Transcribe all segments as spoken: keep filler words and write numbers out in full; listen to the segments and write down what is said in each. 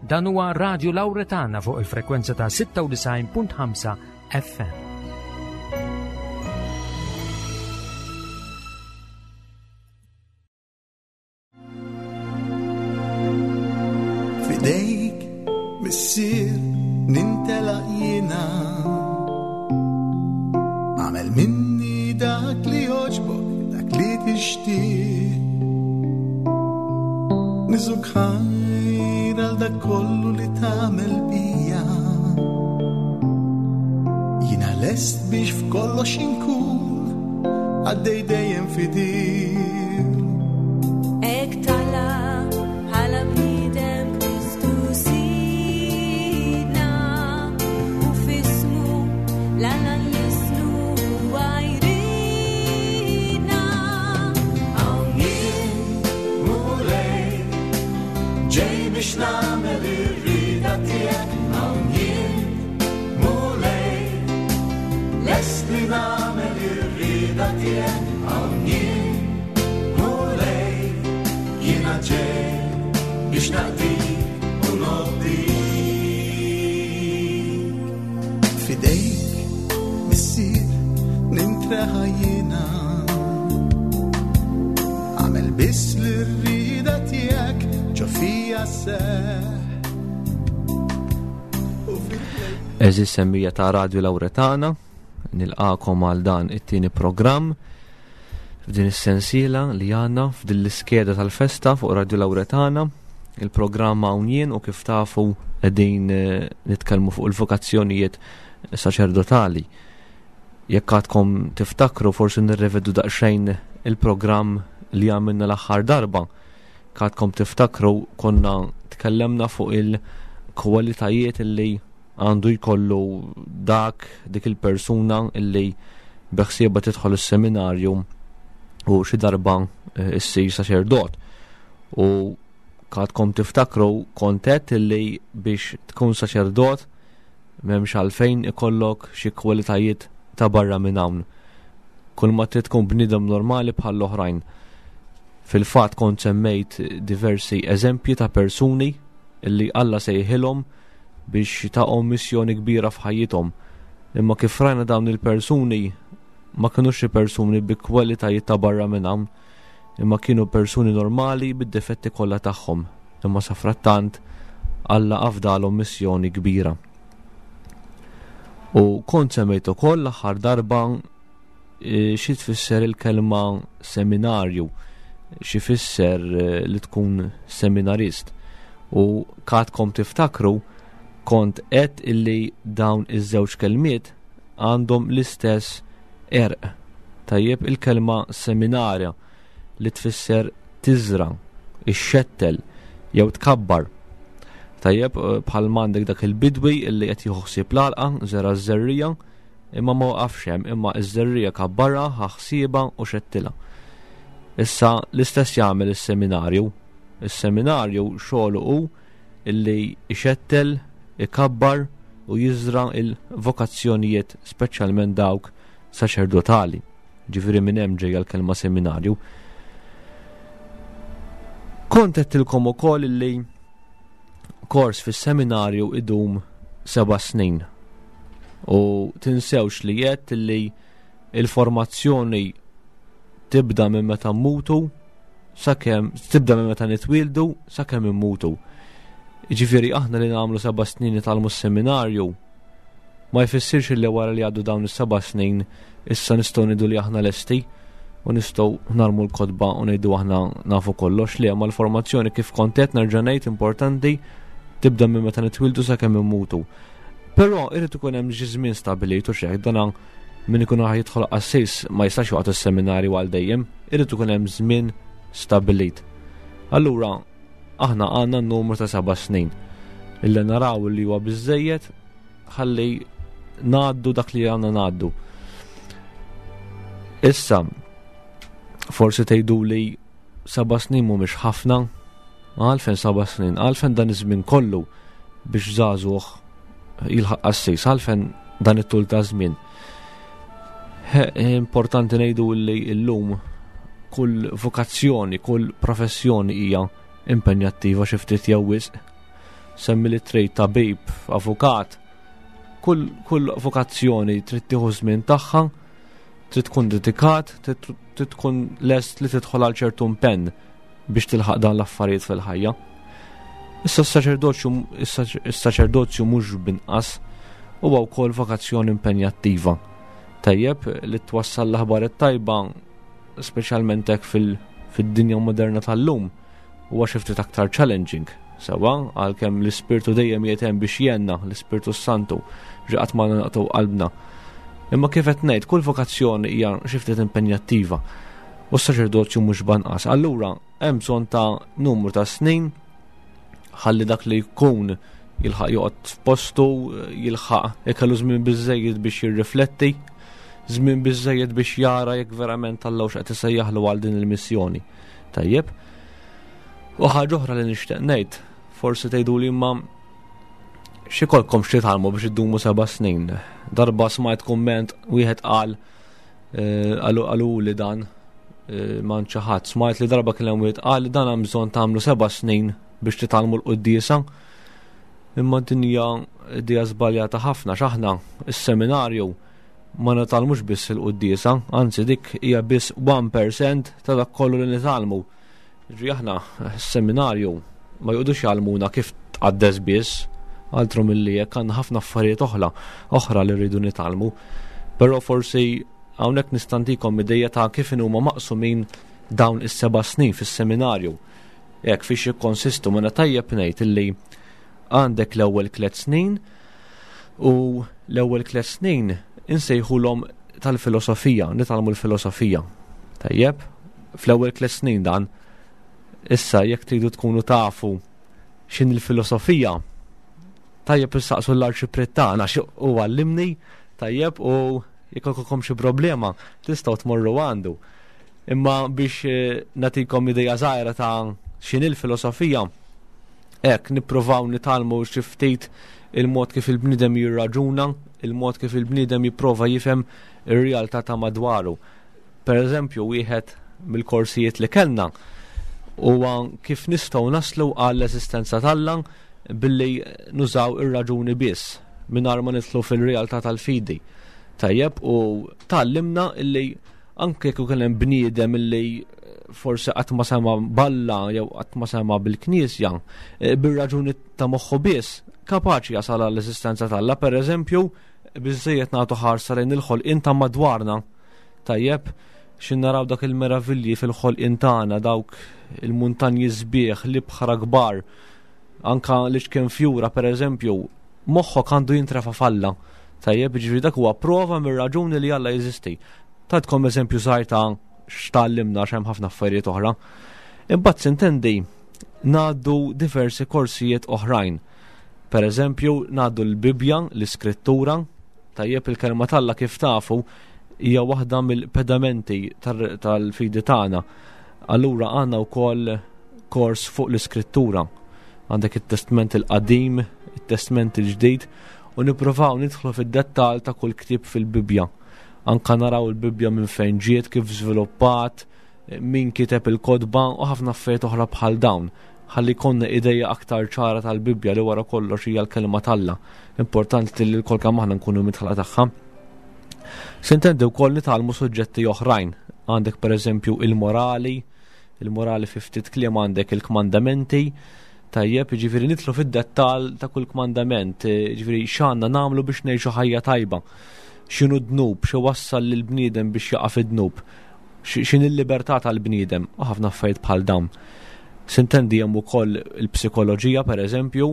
Dan huwa Radio Lauretana fuq il-frekwenza ta' sitta u disgħin punt ħamsa F M. Fidejk, missier, nintelaq jiena. Għamel minni dak li joġbok, dak li tixtieq. Niżuk ħajr għal dak kollu li tagħmel bija. Jiena lest biex f'kollox inkun għaddej dejjem fidil. Ek tala bħala bniedem Kristu Sidna, u f'ismu l-Alla nlisnu għajrina. Hawn jien, Mulej, ġej biex nagħmel ir-rieda tiegħek. Hawn jien, Mulej, lest li nagħmel ir-rieda tiegħek. Hawn jien, Mulej, jiena ġej biex naqdik u nobdik. Fidejk, missier, nintreħa jiena. Għamel biss l-rida tiegħek ġo fija seħ. Eżis semmija ta' Radio Lauretana, nilqakom għal dan it-tieni programm f'din is-sensiela li għandna f'din l-iskeda tal-festa fuq Radio Lauretana. Il-programm hawn jien u kif tafu qegħdin, eh, nitkellmu fuq il-vokazzjonijiet saċerdotali. Jekk għadkom tiftakru, forsi nirrevedu daqsxejn il-programm li għamilna l-aħħar darba. Għadkom tiftakru konna tkellemna fuq il-kwalitajiet li għandu jkollu dak dik il-persuna illi beħsiebha tidħol is-seminarju u xi darba, eh, issir saċerdot. U għadkom tiftakru kontet illi biex tkun saċerdot m'hemmx għalfejn ikollok xi kwalitajiet ta' barra minn hawn. Kull ma trid tkun bniedem normali bħall-oħrajn. Fil-fatt kont semmejt diversi eżempji ta' persuni illi Alla sejħilhom biex taqhom missjoni kbira f'ħajjithom. Imma kif rajna dawn il-persuni ma kinux xi persuni bi kwalitajiet ta' barra minn hawn, imma kienu persuni normali bid-difetti kollha tagħhom. Imma safrattant Alla afdalhom missjoni kbira. U kont semmejt ukoll l-aħħar darba, eh, xi tfisser il-kelma seminarju, xi fisser, eh, li tkun seminarist. U kadkom tiftakru kont qed illi dawn iż-żewġ kelmiet għandhom l-istess erq. Tajjeb, il-kelma seminarja li tfisser tiżra, ixxettel jew tkabbar. Tajjeb, eh, bħal m'għandek dak il-bidwi illi qed jieħu ħsieb l-għalqa, żera ż-żerrija, imma ma waqafx hemm, imma ż-żerrija kabbarha, ħa ħsiebha u xettilha. Issa l-istess jagħmel is-seminarju. Is-seminarju xogħlu hu illi ixettel, ikabbar u jiżra il-vokazzjonijiet, speċjalment dawk saċerdotali. Ġifieri minn hemm ġejja l-kelma seminarju. Kont għedtilkom ukoll illi kors fis-seminarju idum seba' snin. U tinsewx li għedt illi il-formazzjoni tibda minn meta mmutu sakemm tibda minn meta nitwieldu sakemm immutu. Jiġifieri aħna li nagħmlu seba' snin nitgħallmu s-seminarju ma jfissirx li wara li għaddu dawn is-seba' snin issa nistgħu ngħidu li aħna lesti u nistgħu narmu l-kotba u ngħidu aħna nafu kollox. Li ma l-formazzjoni kif kont qed nerġa' ngħid importanti tibda minn meta nitwieldu sakemm immutu. Però irid ikun hemm xi żmien stabbilit u xejn, dan min ikun raħ jidħol qassis ma jistax joqgħod is-seminarju għal dejjem, irid ikun hemm żmien stabbilit. Allura aħna għandna n-numru ta' seba' snin illi naraw li huwa biżżejjed ħalli ngħaddu dak li għandna ngħaddu. Issa forsi tgħidu li seba' snin mhumiex ħafna, għalfejn seba' snin, għalfejn dan iż-żmien kollu biex żagħżugħ jilħaq qassis, għalfejn dan it-tul ta' żmien. He, importanti ngħidu li llum kull vokazzjoni, kull professjoni hija impenjattiva xi ftit jew wisq. Semmi li trid, tabib, avukat, kull, kull vokazzjoni trid tieħu żmien tagħha, trid tkun dedikat, trid tkun lest li tidħol għal ċertu impenn biex tilħaq dan l-affarijiet fil-ħajja. Issa s-saċerdozju is-saċerdozju mhux binqas, huwa wkoll vokazzjoni impenjattiva. Tajjeb li twassal l-aħbar it-tajba, speċjalment hekk fil-dinja moderna tal-lum, huwa xi ftit aktar challenging. Sewa, għalkemm l-Ispirtu dejjem jietem biex jenna, l-Ispirtu Santu, ġaqat ma naqtu qalbna. Imma kif qed ngħid, kull vokazzjoni hija xi ftit impenjattiva u s-saċerdozju mhux banqas. Allura hemm bżonn ta' numru ta' snin ħalli dak li jkun jilħaq joqgħod f'postu, jilħaq ikellu żmien biżejjed biex jirrifletti, żmien biżejjed biex jara jekk verament Alla x'qed isejjaħlu għal din il-missjoni. Tajjeb. U ħaġa oħra li nixtieq ngħid, forsi tgħidu li imma x'ikolkom x'titgħallmu biex iddumu seba' snin. Darba smajt kumment wieħed qal, qalu qalu li dan ma ħadd, smajt li darba kien hemm wieħed qal li dan hemm bżonn tagħmlu seba' snin biex titgħallmu l-quddiesa. Imma din hija idea żbaljata ħafna, x'aħna is-seminarju ma nitgħallmux biss il-quddiesa, anzi dik hija biss one percent ta' dak kollu li nitgħallmu. Ġifieri aħna s-seminarju ma joqogħdux jgħallmuna kif tqaddes biss, altru milli jekk għandna ħafna affarijiet oħra, oħra li rridu nitgħallmu. Però forsi hawnhekk nistantikom idejja ta' kif huma maqsumin dawn is-seba' snin fis-seminarju. Jekk fiex jikkonsistu, ma tajjeb ngħid illi għandek l-ewwel tliet snin u l-ewwel tliet snin insejħulhom tal-filosofija, nitgħallmu l-filosofija. Tajjeb, fl-ewwel tliet snin dan. Issa jekk tridu tkunu tafu x'in il-filosofija, tajjeb issaqsu l-arċipriet tagħna għax hu għallimni, tajjeb, u jekk ikolkom xi problema tistgħu tmorru għandu. Imma biex, eh, nagħtikom idea żgħira ta' x'in il-filosofija, hekk nippruvaw nitgħallmu xi ftit il-mod kif il-bniedem jirraġuna, il-mod kif il-bniedem jipprova jifhem ir-realtà ta' madwaru. Per eżempju, wieħed mill-korsijiet li kellna huwa kif nistgħu naslu għall-eżistenza t'Alla billi nużaw ir-raġuni biss mingħajr ma nidħlu fil-realtà tal-fidi. Tajjeb, u tgħallimna illi anke jekk kien hemm bniedem illi forsi qatt ma sema balla jew qatt ma sema bil-knisja, eh, bir-raġuni ta' moħħu biss kapaċi jasal għall-eżistenza t'Alla. Per eżempju, biżejjed nagħtu ħarsa lejn il-ħolqien ta' madwarna. Tajjeb, xin naraw dak il-meravilji fil-ħolqien tagħna, dawk il-muntanji sbieħ, l-ibħra kbar, anka li xkien fjura per eżempju, moħħok għandu jintrefa' falla. Tajjeb, ġifieri dak huwa prova mir-raġuni li Alla jeżisti. Tatkom eżempju żgħir ta' x'tgħallimna għax hemm ħafna affarijiet oħra. Imbagħad sintendi ngħaddu diversi korsijiet oħrajn. Per eżempju, ngħaddu l-Bibja, l-Iskrittura. Tajjeb, il-kelma t'Alla kif tafu hija waħda mill-pedamenti tar-, tal-fidi tagħna. Allura għandna wkoll kors fuq l-Iskrittura. Għandek it-Testament il-Qadim, it-Testament il-Ġdid, u nippruvaw nidħlu fid-dettall ta' kull ktieb fil-Bibja. Anka naraw il-Bibja minn fejn ġiet, kif żviluppat, min kiteb il-kotba u ħafna affarijiet oħra bħal dawn. Ħalli jkollna ideja aktar ċara tal-Bibja li wara kollox hija l-kelma t'Alla. Importanti li l-kol kemm aħna nkunu midħla tagħha. Sintendi wkoll nitgħallmu suġġetti oħrajn. Għandek pereżempju il-morali, il-morali fi ftit kliem għandek il-kmandamenti. Tajjeb, jiġifieri nidħlu fid-dettall ta' kull kmandament, jiġifieri x'għandna nagħmlu biex ngħixu ħajja tajba. X'inhu dnub, xi wassal lill-bniedem biex jaqa' fid-dnub, xi-, x'inhi l-libertà tal-bniedem, u ħafna affarijiet bħal dawn. Sintendi hemm ukoll il-psikoloġija pereżempju,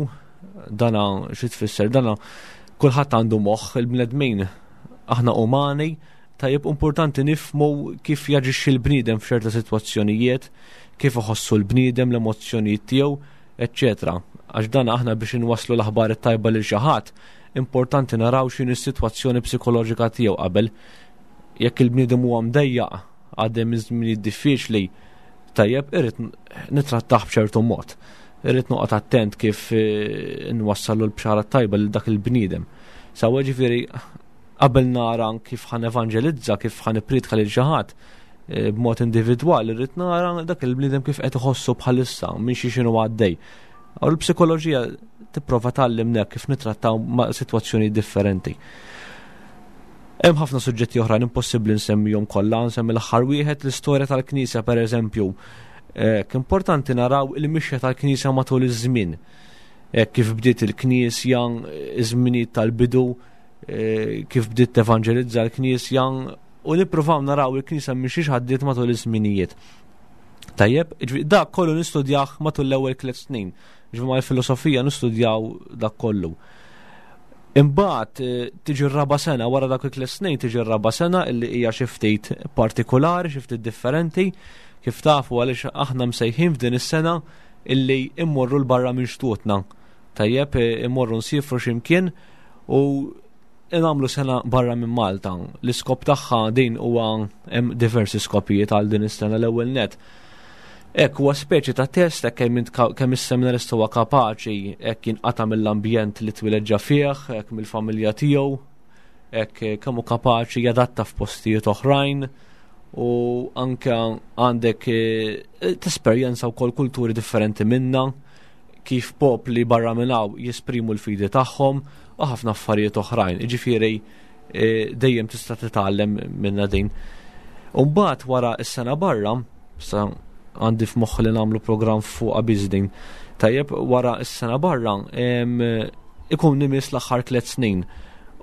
dana xi tfisser, dana kulħadd għandu moħħ, il-bnedmin aħna umani, tajjeb importanti nifhmu kif jaġixxi l-bniedem f'ċerta sitwazzjonijiet, kif iħossu l-bniedem, l-emozzjonijiet tiegħu, eċċetera. Għax dan aħna biex inwasslu l-aħbar it-tajba lil xi ħadd, importanti naraw x'inhi s-sitwazzjoni psikoloġika tiegħu qabel. Jekk il-bniedem huwa mdejjaq, għaddej minn żminijiet diffiċli, tajjeb irrid nitrattah b'ċertu mod. Irrid noqgħod attent kif, eh, nwassallu l-bxara tajba lil dak il-bniedem. Sawa ġifieri qabel nara kif ħan evanġelizza, kif ħan ippriedka lil xi ħadd, eh, b'mod individwali, irrid nara dak il-bniedem kif qed iħossu bħalissa, minn xi x'inhu għaddej. U l-psikoloġija tipprova tgħallimna kif nitrattaw ma' sitwazzjoni differenti. Hemm ħafna suġġetti oħrajn, impossibbli nsemmihom kollha, nsemmi l-aħħar wieħed, l-istorja tal-Knisja, pereżempju. Importanti naraw il-mixja tal-Knisja matul iż-żmien. Kif bdiet il-Knisja, iż-żminijiet tal-bidu, kif bdiet tevanġelizza l-Knisja, u nippruvaw naraw il-Knisja minn x'għaddiet matul iż-żminijiet. Tajjeb, dak kollu nistudjah matul l-ewwel tliet snin. Ġifieri mal-filosofija nistudjaw dak kollu. Imbagħad tiġi r-raba' sena, wara dak it-tliet snin tiġi r-raba' sena illi hija xi ftit partikolari, xi ftit differenti, kif tafu, għaliex aħna msejħin f'din is-sena illi immorru 'l barra minn xtutna. Tajjeb, immorru nsifru x'imkien u nagħmlu sena barra minn Malta. L-iskop tagħha din huwa, hemm diversi skopijiet għal din is-sena. L-ewwel net, hekk, huwa speċi ta' test hekk kemm kemm is-seminarista huwa kapaċi hekk jinqata' mill-ambjent li twieled ġa fih, hekk mill-familja tiegħu, hekk kemm hu kapaċi jadatta f'postijiet oħrajn, u anke għandek tesperjenza wkoll kulturi differenti minna, kif popli barra minn hawn jesprimu l-fidi tagħhom u ħafna affarijiet oħrajn. Jiġifieri dejjem tista' titgħallem minna din. U mbagħad wara s-sena barra, sa għandi f'moħħ li nagħmlu programm fuq biss din. Tajjeb, wara s-sena barra ikun imiss l-aħħar tliet snin.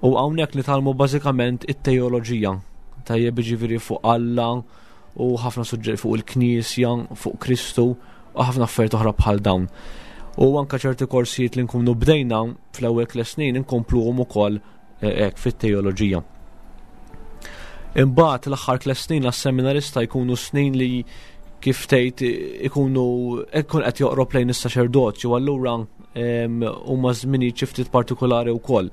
U hawnhekk nitgħallmu bażikament it-teoloġija. Tajjeb, jiġifieri fuq Alla u ħafna suġġetti fuq il-Knisja, fuq Kristu u ħafna affarijiet oħra bħal dawn. U anka ċerti korsijiet li nkunu bdejna fl-ewwel tliet snin inkompluhom ukoll hekk fit-teoloġija. Imbagħad l-aħħar tliet snin għas-seminarista jkunu snin li kif tgħid ikunu ikun qed joqrob lejn is-saċerdozju, allura huma żminijiet xi ftit partikolari wkoll.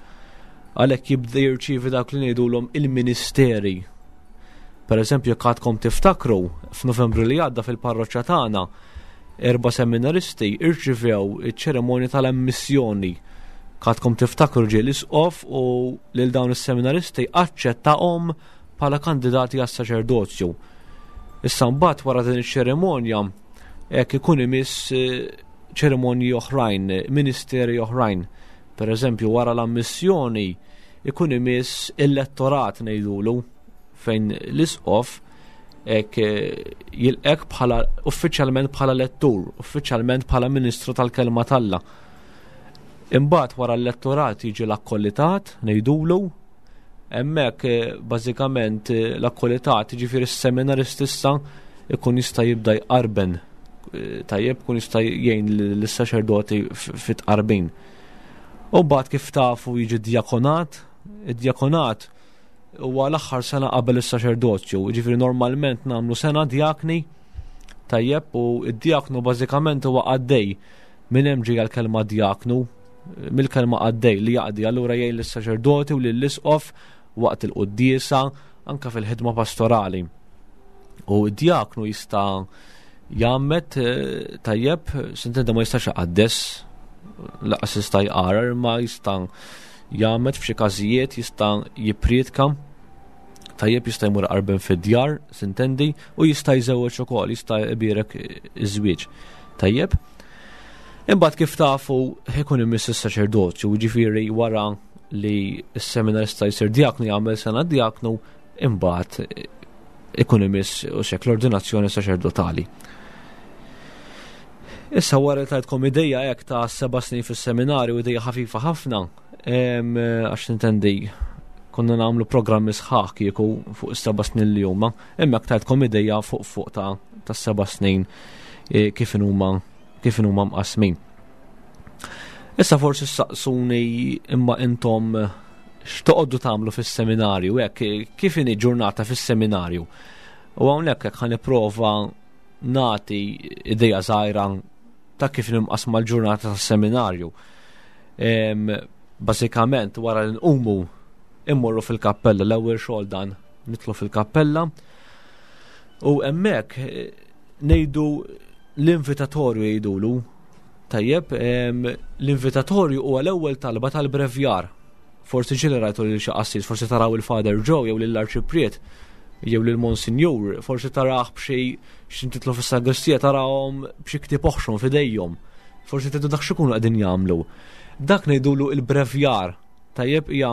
Għalhekk jibda jirċievi dak li ngħidulhom il-ministeri. Per eżempju, jekk għadkom tiftakru, f'Novembru li għadda fil-parroċċa tagħna erba' seminaristi irċivew iċ-ċerimonja tal-ammissjoni. Għadkom tiftakru ġie l-isqof u lil dawn is-seminaristi aċċettahom bħala kandidati għas-saċerdozju. Issa mbagħad wara din iċ-ċerimonja hekk ikun imiss ċerimonji oħrajn, ministeri oħrajn. Per eżempju, wara l-ammissjoni ikun imiss il-lettorat ngħidulu, fejn l-isqof hekk jilqek bħala uffiċjalment bħala lettur, uffiċjalment bħala ministru tal-kelma t'Alla. Imbagħad wara l-lettorat jiġi l-akkolitat ngħidulu, hemmhekk bażikament l-akkolitat, jiġifieri s-seminarist issa ikun jista' jibda jqarben, tajjeb, ikun jista' jgħin lis-saċerdoti fit-tqarbin. U mbagħad kif tafu jiġi djakonat. Id-djakonat huwa l-aħħar sena qabel is-saċerdozju, jiġifieri normalment nagħmlu sena djakni, tajjeb, u d-djaknu bażikament huwa qaddej. Minn hemm ġejja l-kelma djaknu, mill-kelma qaddej li jaqdi, allura jgħin lis-saċerdoti u lill-isqof waqt il-quddiesa, anka fil-ħidma pastorali. U d-djaknu jista' jgħammed, tajjeb, s'intenda ma jistax iqaddes, laqas jista' jqarar, ma jista' jgħammed f'xi każijiet, jista' jippriedka, tajjeb, jista' jmur qarben fid-djar, s'intendi, u jista' jżewweġ ukoll, jista' jbierek iż-żwieġ. Tajjeb. Imbagħad kif tafu ikun imiss is-saċerdozju, jiġifieri wara li s-seminarista jsir djaknu, jagħmel sena djaknu, imbagħad ikun imiss u xek l-ordinazzjoni saċerdotali. Issa wara li tajtkom idea hekk ta' seba' snin fis-seminarju, idea ħafifa ħafna, għax nintendi konna nagħmlu programmi sħaħ kieku fuq is-seba' snin li huma, imma hekk tajtkom idea fuq fuq ta' ta' seba' snin kif huma kif huma mqasmin. Issa forsi saqsuni, imma intom x'toqogħdu tagħmlu fis-seminarju, hekk kif inhi ġurnata fis-seminarju? U hawnhekk hekk ħa nipprova nagħti idea żgħira ta' kif nimqasma l-ġurnata tas-seminarju. Bażikament wara li nqumu immorru fil-kappella, l-ewwel xogħol dan, nidħlu fil-kappella u hemmhekk ngħidu l-invitatorju jgħidulu. Tajjeb, l-invitatorju huwa l-ewwel talba tal-brevjar. Forsi ġieli rajtu lil xi qassis, forsi taraw il-Father Joe jew lill-Arċipriet jew lil Monsinjur, forsi tarah b'xi x'intitlu fis-sagristija, tarahom b'xi ktieb oħxon f'idejhom Forsi tgħidu dak x'ikunu qegħdin jagħmlu. Dak ngħidulu il-brevjar. Tajjeb, hija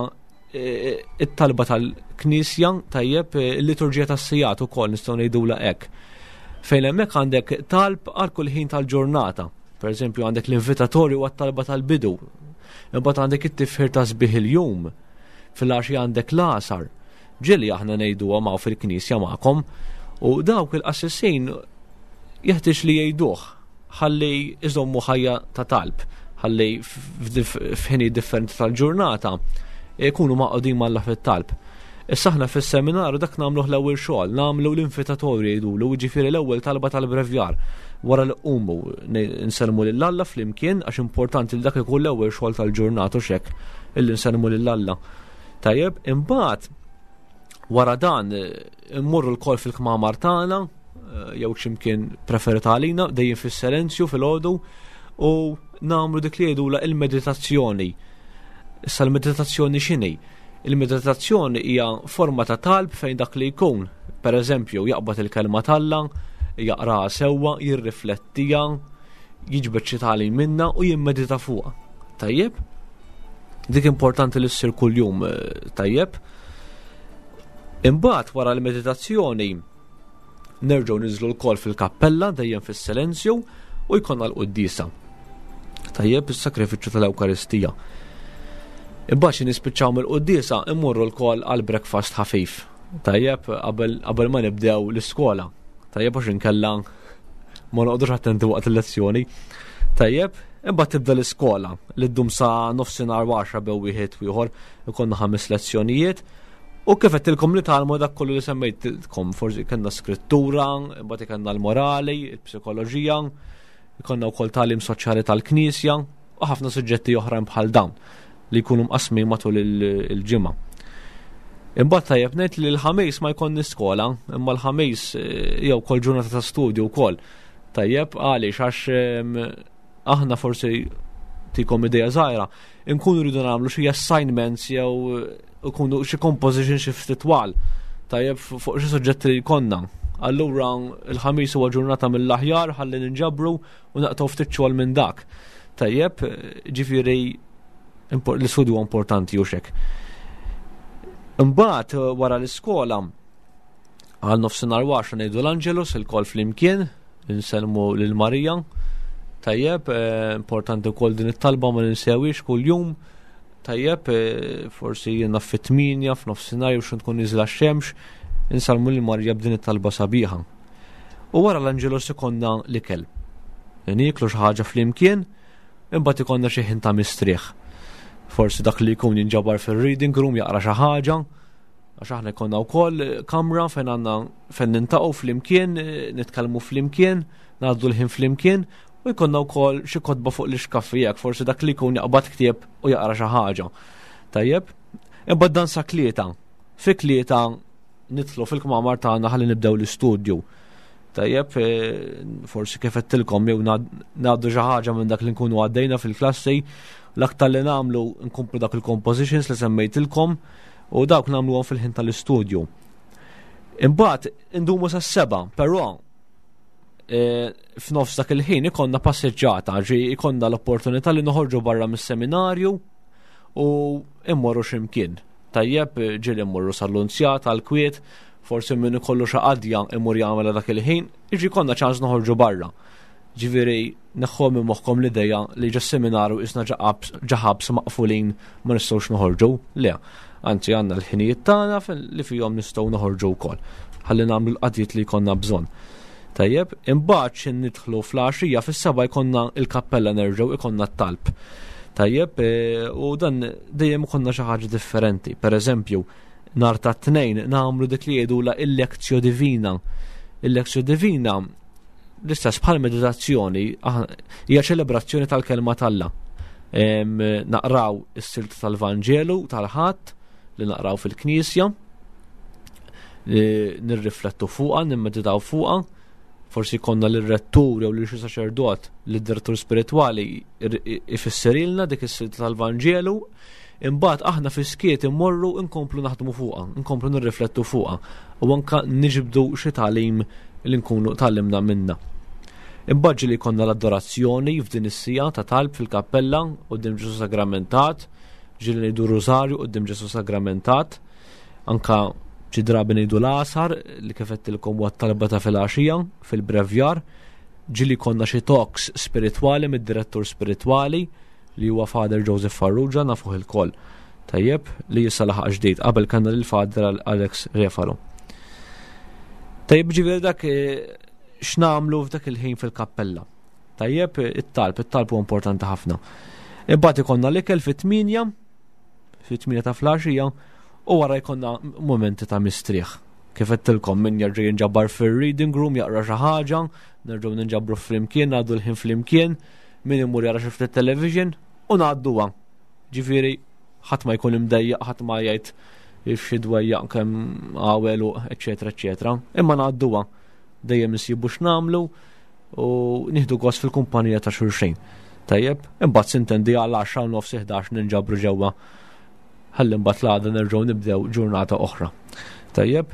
e, it-talba tal-Knisja, tajjeb, il-liturġija tas-sigħat ukoll nistgħu ngħidulha hekk. Fejn hemmhekk għandek talb għal kull ħin tal-ġurnata. Per eżempju, għandek l-invitatorju għat-talba tal-bidu. Imbagħad għandek it-tifħir ta' sbieħ il-jum. Fil-għaxi għandek l-għasar. Ġieli aħna ngħiduha ma' fil-Knisja magħkom. U dawk il-qassisin jeħtieġ li jgħiduh ħalli iżommu ħajja ta' talb, ħalli f'ħini differenti tal-ġurnata jkunu maqgħudin m'Alla fit-talb. Issa aħna fis-seminarju dak nagħmluh l-ewwel xogħol, nagħmlu l-invitatorju jgħidulu, jiġifieri l-ewwel talba tal-brevjar. Wara li qumu nsellmu lil Alla flimkien, għax importanti li dak ikun l-ewwel xogħol tal-ġurnata u xek illi nsellmu lil Alla. Tajjeb, imbagħad wara dan immorru lkoll fil-kmamar tagħna jew x'imkien preferita għalina, dejjem fis-silenzju fil-għodu, u nagħmlu dik li jgħidula il-meditazzjoni. Issa l-meditazzjoni x'inhi? Il-meditazzjoni hija forma ta' talb fejn dak li jkun, per eżempju, jaqbad il-kelma t'Alla, jaqraha sewwa, jirriflettija, jiġbed xi tagħlim minna u jimmedita fuqha. Tajjeb? Dik importanti li ssir kuljum, tajjeb? Imbagħad wara l-meditazzjoni nerġgħu niżlu lkoll fil-kappella dejjem fis-silenzju u jkollna l-quddiesa. Tajjeb, is-sakrifiċċju tal-Ewkaristija. Imbagħad xi nispiċċaw mill-quddiesa immorru lkoll għal breakfast ħafif. Tajjeb, qabel, qabel ma nibdew l-iskola. Tajjeb, għax inkella ma noqgħodux attenti waqt il-lezzjoni. Tajjeb, imbagħad tibda l-iskola li ddum sa nofsinhar għaxra bew wieħed u ieħor, ikollna ħames lezzjonijiet. U kif għedtilkom li tgħallmu dak kollu li semmejtilkom, forsi kellna skrittura, imbagħad kellna l-morali, il-psikoloġija, ikollna wkoll tagħlim soċjali tal-Knisja u ħafna suġġetti oħrajn bħal dawn li jkunu mqasmin matul il-ġimgħa. Imbagħad tajjeb ngħid li l-ħamis ma jkollni skola, imma l-ħamis jew kol ġurnata ta' studju wkoll. Tajjeb, għaliex għax aħna forsi tikom idea żgħira, inkunu rridu nagħmlu xi assignments jew ikunu xi composition xi ftit twal, tajjeb, fuq xi suġġetti li jkollna. Allura il-ħamis huwa ġurnata mill-aħjar ħalli ninġabru u naqtgħu ftit xogħol minn dak. Tajjeb, ġifieri l-istudju huwa importanti u xek. Imbagħad wara l-iskola għal nofsinhar għaxra ngħidu l-Angelus il-kol flimkien, insellmu lil Marija. Tajjeb, importanti wkoll din it-talba ma ninsewix kuljum. Tajjeb, forsi jiena fit-tminja, f'nofsinhar jew xi tkun niżla x-xemx, insellmu lil Marija b'din it-talba sabiħa. U wara l-Angelus ikollna l-ikel. Nieklu xi ħaġa flimkien, imbagħad ikollna xi ħin ta' mistrieħ. Forsi dak li jkun jinġabar fil-reading room jaqra xi ħaġa, għax aħna jkollna wkoll kamra fejn għandna fejn nintaqgħu flimkien, nitkellmu flimkien, ngħaddu l-ħin flimkien, u jkollna wkoll xi kotba fuq l-ixkaffi jekk forsi dak li jkun jaqbad ktieb u jaqra xi ħaġa. Tajjeb, imbagħad dan sa tlieta. Fi tlieta nidħlu fil-kmamar tagħna ħalli nibdew l-istudju. Tajjeb, forsi kif għedtilkom jew ngħaddu xi ħaġa minn dak li nkunu għaddejna fil-klassi, l-aktar li nagħmlu nkomplu dak il-compositions li semmejtilkom u dawk nagħmluhom fil-ħin tal-istudju. Imbagħad indumu sas-seba', però f'nofs dak il-ħin ikonna passeġġata, ġi ikonna l-opportunità li noħorġu barra mis-seminarju u immorru x'imkien. Tajjeb, ġieli immorru sal-Lunzjata, għal-Kwiet, forsi min ikollu xi qadja imur jagħmel dak il-ħin, jiġi konna ċans noħorġu barra. Ġifieri neħħu minn moħħkom l-idea li ġo seminarju isna ġaħabs maqfulin ma nistgħux noħorġu. Le, anzi għandna l-ħinijiet tagħna li fihom nistgħu noħorġu wkoll. Ħalli nagħmlu l-qadjiet li jkollna bżonn. Tajjeb, imbagħad xi nidħlu fl-għaxija fis-seba' jkollna l-kappella nerġgħu ikollna t-talb. Tajjeb, u dan dejjem ikollna xi ħaġa differenti. Per eżempju, nhar ta' tnejn nagħmlu dik li jgħidulha il-Lectio Divina. Il-Lectio Divina l-istess bħal meditazzjoni hija ċelebrazzjoni tal-kelma t'Alla. Naqraw is-silta tal-Vanġelu tal-Ħadd li naqraw fil-Knisja, nirriflettu fuqha, nimmeditaw fuqha, forsi konna l-rettur jew lil xi saċerdot, lid-direttur spiritwali ifisserilna dik is-silta tal-Vanġelu, imbagħad aħna fis-skiet immorru nkomplu naħdmu fuqha, nkomplu nirriflettu fuqha u anka niġbdu xi tagħlim li nkunu tgħallimna minna. Imbagħad ġieli jkollna l-adorazzjoni f'din is-sija ta' talb fil-kappella quddiem Ġesu Sagramentat, ġieli ngħidu Rużarju quddiem Ġesu Sagramentat, anka xi drabi ngħidu l-għasar li kif għedtilkom huwa t-talba ta' filgħaxija fil-brevjar, ġieli jkollna xi talks spiritwali mid-direttur spiritwali li huwa Father Joseph Farrugia, nafuh ilkoll. Tajjeb, li issa laħaq ġdid, qabel kellna lil Father Alex Refalo. Tajjeb, ġifieri dak, eh, x'nagħmlu f'dak il-ħin fil-kappella. Tajjeb, it-talb, it-talb huwa importanti ħafna. Imbagħad ikollna l-ikel fit-tmienja, fit-tmienja ta' filgħaxija, u wara jkollna momenti ta' mistrieħ. Kif għedtilkom, min jerġa' jinġabar fir-reading room jaqra xi ħaġa, nerġgħu ninġabru flimkien, ngħaddu l-ħin flimkien, min imur jara xi ftit television u ngħadduha. Ġifieri ħadd ma jkun imdejjaq, ħadd ma jgħid xi dwejjaq kemm għawel u eċetera eċetera. Imma ngħadduha, dejjem insibu x'nagħmlu u nieħdu gost fil-kumpanija ta' xulxin. Tajjeb, imbagħad sintendi għal għaxra u nofs ħdax ninġabru ġewwa ħalli mbagħad l-għada nerġgħu nibdew ġurnata oħra. Tajjeb.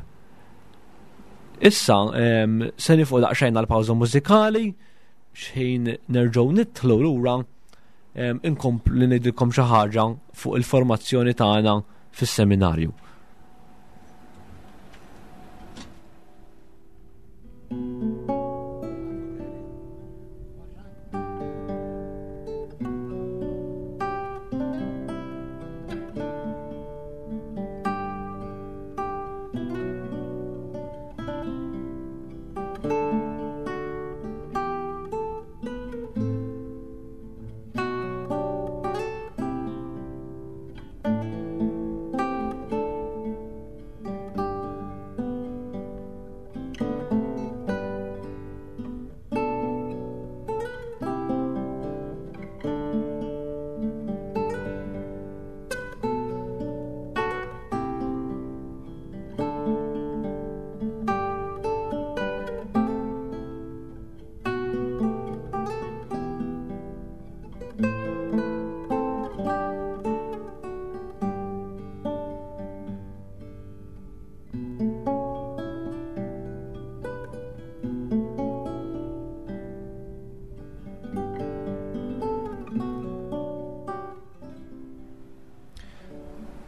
Issa, em, se nifqu daqsxejn għal pawża mużikali, x'ħin nerġgħu nidħlu lura, em, inkomplu ngħidilkom xi ħaġa fuq il-formazzjoni tagħna fis-seminarju.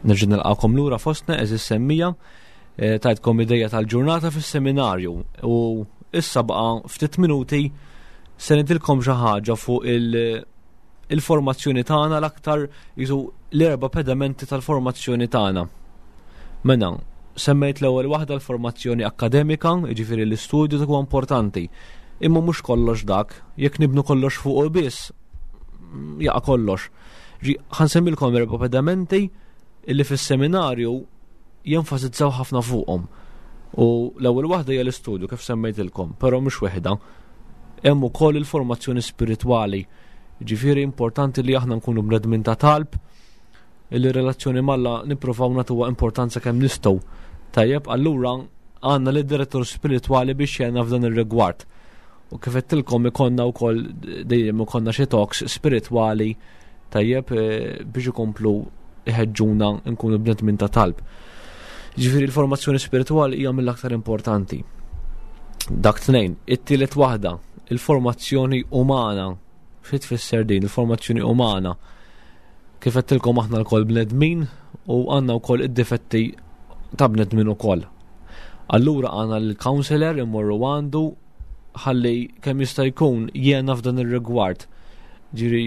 Nerġa' nilqakom lura fostna eżis semmija, eh, tajtkom ideja tal-ġurnata fis-seminarju u issa baqa' ftit minuti se ngħidilkom xi ħaġa fuq il-, il-formazzjoni tagħna, l-aktar jisu l-erba' pedamenti tal-formazzjoni tagħna. Mela, semmejt l-ewwel waħda l-formazzjoni akademika, jiġifieri l-istudju dak huwa importanti. Imma mhux kollox dak, jekk nibnu kollox fuqu biss, jaqa' kollox. Ġi, ħansemmilkom erba' pedamenti illi fis-seminarju jenfasizzaw ħafna fuqhom. U l-ewwel waħda hija l-istudju kif semmejtilkom, però mhux waħda. Hemm ukoll il-formazzjoni spiritwali. Ġifieri importanti li aħna nkunu bnedmin ta' talb, illi relazzjoni m'Alla nippruvaw nagħtuha importanza kemm nistgħu. Tajjeb, allura għandna lid direttur spiritwali biex jgħinna f'dan ir-rigward. U kif għedtilkom ikollna wkoll dejjem ikollna xi talks spiritwali, tajjeb, eh, biex ikomplu iħeġġuna nkunu bnedmin ta' talb. Ġifieri l-formazzjoni spiritwali hija mill-aktar importanti. Dak tnejn, it-tielet waħda, il-formazzjoni umana. Xi tfisser din il-formazzjoni umana? Kif għedtilkom aħna lkoll bnedmin u għandna wkoll id-difetti ta' bnedmin ukoll. Allura għandna l-counselor immorru għandu ħalli kemm jista' jkun jiena f'dan ir-rigward. Ġiri,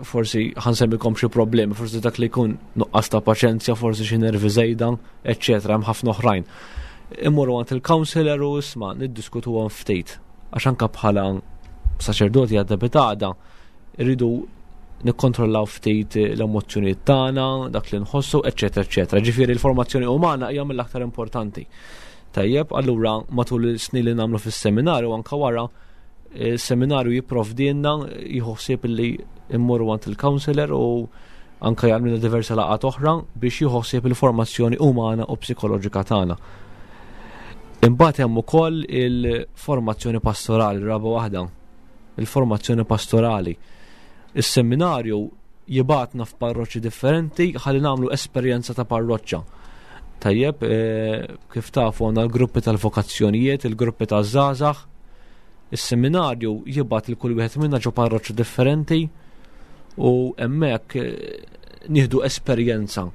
forsi ħansemmikom xi problemi, forsi dak li jkun nuqqas ta' paċenzja, forsi xi nervi żejda, eċċetera, hemm ħafna oħrajn. Immorru għand il-counselor u isma' niddiskutuhom ftit, għax anke bħala saċerdoti għadda bitada irridu nikkontrollaw ftit l-emozzjonijiet tagħna, dak li nħossu, eċċetera, eċċetera. Ġifieri l-formazzjoni umana hija mill-aktar importanti. Tajjeb, allura matul is-snin li nagħmlu fis-seminarju anke wara, il-seminarju jipprovdilna, jieħu ħsieb li immorru għand il-counselor u anke jagħmlilna diversi laqgħat oħra biex jieħu ħsieb il-formazzjoni umana u psikoloġika tagħna. Imbagħad hemm ukoll il-formazzjoni pastorali, raba waħda, il-formazzjoni pastorali. Is-seminarju jibgħatna f'parroċċi differenti ħalli nagħmlu esperjenza ta' parroċċa. Tajjeb, eh, kif tafu għandna l-gruppi tal-vokazzjonijiet, il-gruppi taż-żgħażagħ, Is-seminarju jibgħat lil kull wieħed minna ġo parroċċa differenti u hemmhekk nieħdu esperjenza,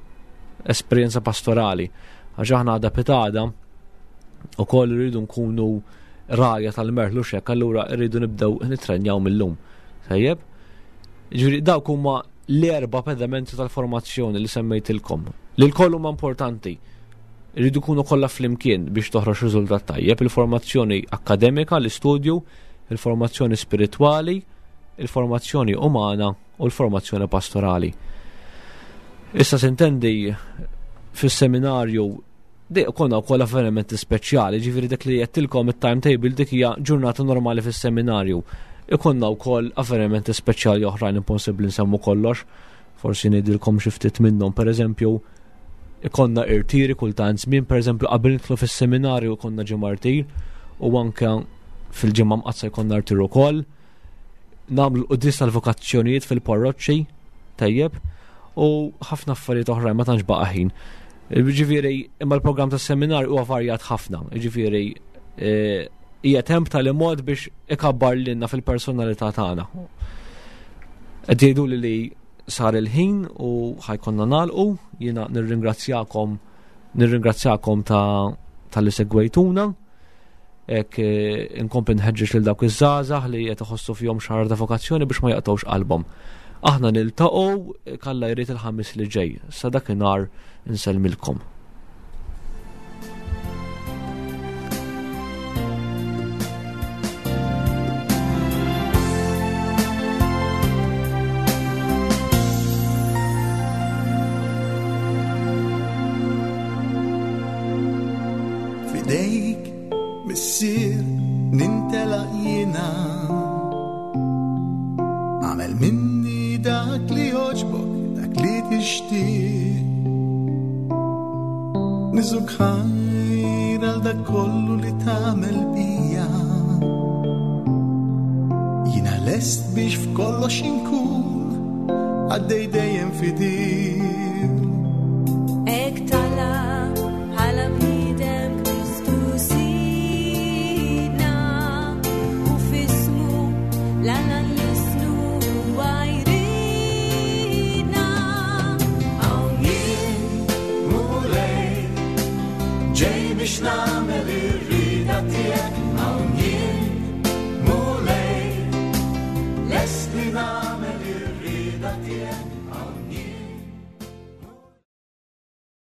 esperjenza pastorali. Għax aħna għada pitada ukoll irridu nkunu rajja tal-merħlu xek, allura rridu nibdew nitrenjaw mill-lum. Tajjeb? Ġifieri dawk huma l-erba' pedamenti tal-formazzjoni li semmejtilkom. Li l-koll huma importanti. Irridu jkunu kollha flimkien biex toħroġ riżultat tajjeb. Il-formazzjoni akademika, l-istudju, il-formazzjoni spiritwali, il-formazzjoni umana u l-formazzjoni pastorali. Issa sintendi fis-seminarju di konna wkoll avvenimenti speċjali, ġifieri dak li għedtilkom it-timetable dik hija ġurnata normali fis-seminarju. Ikonna wkoll avvenimenti speċjali oħrajn impossibbli nsemmu kollox, forsi ngħidilkom xi ftit minnhom, pereżempju ikonna irtiri kultant żmien, pereżempju qabel nidħlu fis-seminarju ikonna ġimgħa rtir u anke fil-ġimgħa mqaddsa jkollna rtir ukoll. Nagħmlu l-quddies tal-vokazzjonijiet fil-parroċċi, tajjeb, u ħafna affarijiet oħrajn ma tantx baqa' ħin. Ġifieri, imma l-programm tas-seminarju huwa varjat ħafna, ġifieri, eh, hija temp tal-imod biex ikabbar lilna fil-personalità tagħna. Qed jgħiduli li sar il-ħin u ħajkonna nagħlqu, jiena nirringrazzjakom, nirringrazzjakom ta' tal-li segwejtuna. Hekk, eh, inkompli nħeġġeġ lil dawk iż-żgħażagħ li qed iħossu fihom xahar ta' vokazzjoni biex ma jaqtgħux qalbhom. Aħna niltaqgħu kalla jrid il-ħamis li ġej. Sa dakinhar insellmilkom. Fidejk, missier, nintelaq jiena. Għamel minni dak li jogħġbok, dak li tixtieq. Niżuk ħajr għal dak kollu li tagħmel bija. Jiena lest biex f'kollox inkun għaddej dejjem fidil. Hekk tala bħala bniedem Kristu Sidna u f'ismu l-Alla nlisnu huwa jridna. Hawn jien, Mulej, ġej biex nagħmel ir-rieda tiegħek. Hawn jien, Mulej, lest li nagħmel